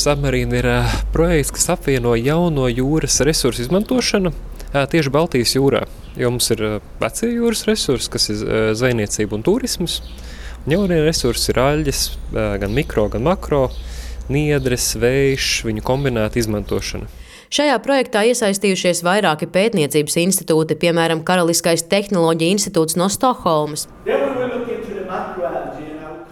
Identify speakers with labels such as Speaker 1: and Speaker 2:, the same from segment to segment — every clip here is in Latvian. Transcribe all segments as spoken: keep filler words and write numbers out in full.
Speaker 1: Submarine ir projekts, kas apvieno jauno jūras resursu izmantošanu tieši Baltijas jūrā. Jo mums ir vecie jūras resursi, kas ir zvejniecība un turisms. Un jaunie resursi ir aļģes, gan mikro, gan makro, niedres, vējš, viņu kombinēta izmantošana.
Speaker 2: Šajā projektā iesaistījušies vairāki pētniecības institūti, piemēram, Karaliskais tehnoloģija institūts no Stokholmas.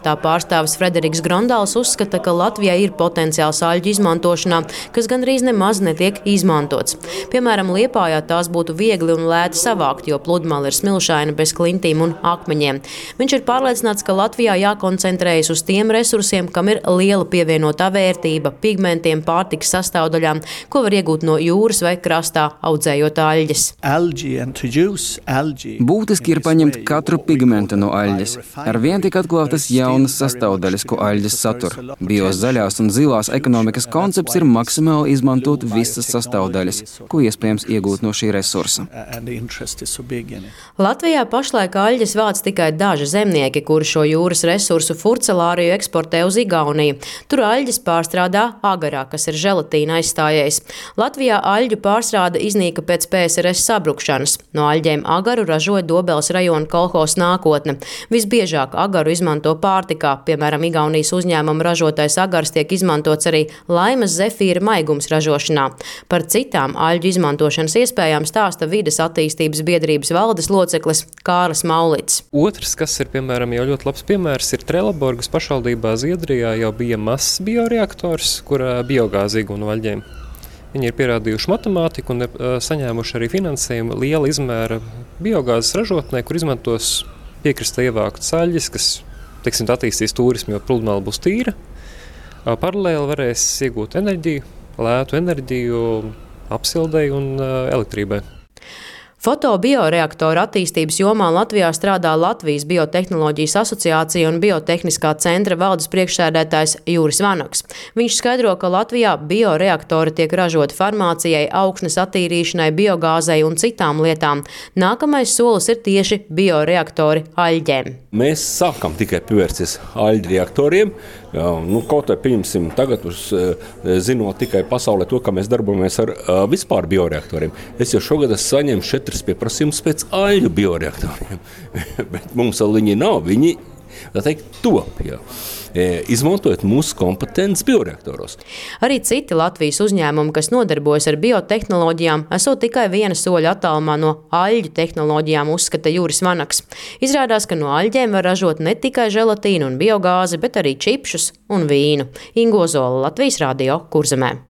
Speaker 2: Tā pārstāvis Frederiks Grondāls uzskata, ka Latvijā ir potenciāls aļģu izmantošanā, kas gandrīz nemaz netiek izmantots. Piemēram, Liepājā tās būtu viegli un lēti savākt, jo pludmale ir smilšaina bez klintīm un akmeņiem. Viņš ir pārliecināts, ka Latvijā jākoncentrējas uz tiem resursiem, kam ir liela pievienotā vērtība, pigmentiem, pārtikas sastāvdaļām, ko var iegūt no jūras vai krastā audzējot aļģes.
Speaker 3: Būtiski ir paņemt katru pigmentu no aļģes. Ar vien tik atklātas jaunas sastāvdaļas, ko aļģes satur. Bios zaļās un zilās ekonomikas koncepts ir maksimāli izmantot visas sastāvdaļas, ko iespējams iegūt no šī resursa.
Speaker 2: Latvijā pašlaik aļģes vāc tikai daži zemnieki, kuri šo jūras resursu furcelāriju eksportē uz Igauniju. Tur aļģes pārstrādā agarā, kas ir želatīna aizstājējs. Latvijā aļģu pārstrāde iznīka pēc P S R S sabrukšanas. No aļģēm agaru ražoja Dobeles rajona kolhozs Nākotne. Visbiežāk agaru izmanto pārtikā. Piemēram, Igaunijas uzņēmuma ražotais agars tiek izmantots arī laimas zefīra maigums ražošanā. Par citām aļģu izmantošanas iespējām stāsta Vides attīstības biedrības valdes loceklis Kārlis Maulītis.
Speaker 1: Otrs, kas ir, piemēram, jau ļoti labs piemērs, ir Trelleborgas pašvaldībā Zviedrijā jau bija mazs bioreaktors, kur biogāzi iegūst no aļģēm. Viņi ir pierādījuši matemātiku un saņēmuši arī finansējumu liela izmēra biogāzes ražotnē, kur izmantos piekrastē ievāktas aļģes, kas, teiksim, attīstīs turismu, jo pludmale būs tīra. Paralēli varēs iegūt enerģiju, lētu enerģiju apsildei un elektrībai.
Speaker 2: Fotobioreaktoru attīstības jomā Latvijā strādā Latvijas Biotehnoloģijas asociācija un Biotehniskā centra valdes priekšsēdētājs Juris Vanaks. Viņš skaidro, ka Latvijā bioreaktori tiek ražoti farmācijai, augsnes attīrīšanai, biogāzei un citām lietām. Nākamais solis ir tieši bioreaktori aļģēm.
Speaker 4: Mēs sākam tikai pievērsties aļģu reaktoriem. Jā, nu, kaut vai pieņemsim tagad, uz, zinot tikai pasaulē to, kā mēs darbojamies ar uh, vispār bioreaktoriem. Es jau šogad esmu saņēmis četras pieprasījumus pēc aļģu bioreaktoriem, bet mums vēl viņi nav, viņi, tā teikt, top, jā. Izmantojot mūsu kompetences bioreaktoros.
Speaker 2: Arī citi Latvijas uzņēmumi, kas nodarbojas ar biotehnoloģijām, esot tikai viena soļa attālumā no aļģu tehnoloģijām, uzskata Juris Vanaks. Izrādās, ka no aļģēm var ražot ne tikai želatīnu un biogāzi, bet arī čipšus un vīnu. Ingo Zola, Latvijas radio, Kurzemē.